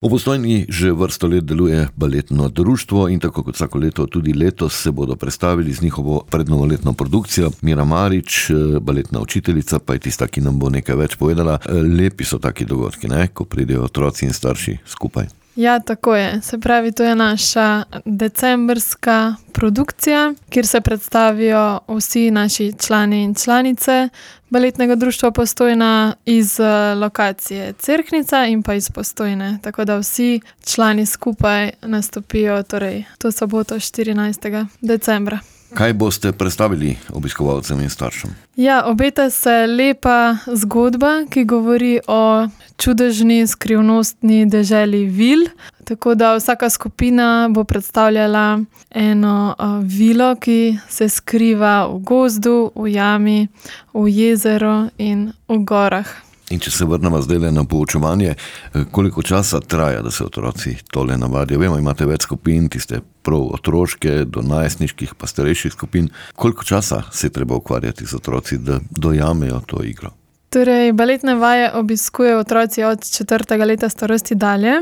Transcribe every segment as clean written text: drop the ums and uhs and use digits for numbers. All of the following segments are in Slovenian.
V Postojni že vrsto let deluje baletno društvo in tako kot vsako leto tudi letos se bodo predstavili z njihovo prednovoletno produkcijo. Mira Marič, baletna učiteljica, pa je tista, ki nam bo nekaj več povedala. Lepi so taki dogodki, ne? Ko pridejo otroci in starši skupaj. Ja, tako je. Se pravi, to je naša decembrska produkcija, kjer se predstavijo vsi naši člani in članice baletnega društva Postojna iz lokacije Cerknica in pa iz Postojne. Tako da vsi člani skupaj nastopijo to soboto 14. decembra. Kaj boste predstavili obiskovalcem in staršem? Ja, obeta se lepa zgodba, ki govori o čudežni, skrivnostni deželi vil. Tako da vsaka skupina bo predstavljala eno vilo, ki se skriva v gozdu, v jami, v jezeru in v gorah. In če se vrnemo zdaj na poučevanje, koliko časa traja, da se otroci tole navadijo? Vemo, imate več skupin, tiste prav otroške, do najstniških pa starejših skupin. Koliko časa se je treba ukvarjati z otroci, da dojamejo to igro? Baletne vaje obiskujejo otroci od 4. leta starosti dalje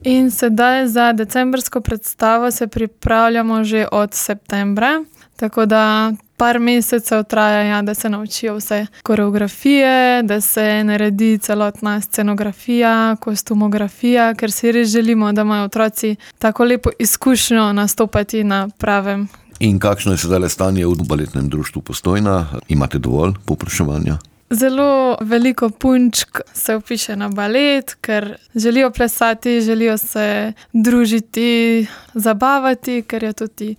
in sedaj za decembrsko predstavo se pripravljamo že od septembra, tako da par mesecev traja, da se naučijo vse koreografije, da se naredi celotna scenografija, kostumografija, ker si res želimo, da imajo otroci tako lepo izkušnjo nastopati na pravem. In kakšno je sedaj stanje v baletnem društvu Postojna? Imate dovolj povpraševanja? Zelo veliko punčk se vpiše na balet, ker želijo plesati, želijo se družiti, zabavati, ker je tudi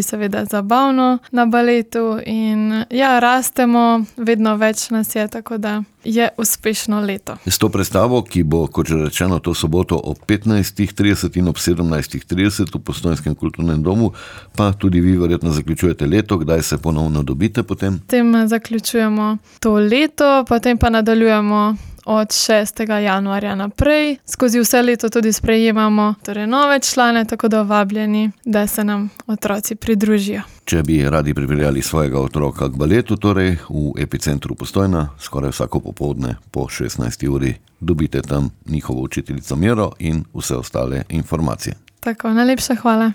seveda zabavno na baletu in ja, rastemo, vedno več nas je, tako da je uspešno leto. S to predstavo, ki bo, kot že rečeno, to soboto ob 15:30 in ob 17:30 v Postojnskem kulturnem domu, pa tudi vi verjetno zaključujete leto. Kdaj se ponovno dobite potem? Potem zaključujemo to leto, potem pa nadaljujemo od 6. januarja naprej. Skozi vse leto tudi sprejemamo nove člane, tako da vabljeni, da se nam otroci pridružijo. Če bi radi pripeljali svojega otroka k baletu, v Epicentru Postojna, skoraj vsako popoldne po 16. uri, dobite tam njihovo učiteljico Miro in vse ostale informacije. Tako, najlepša hvala.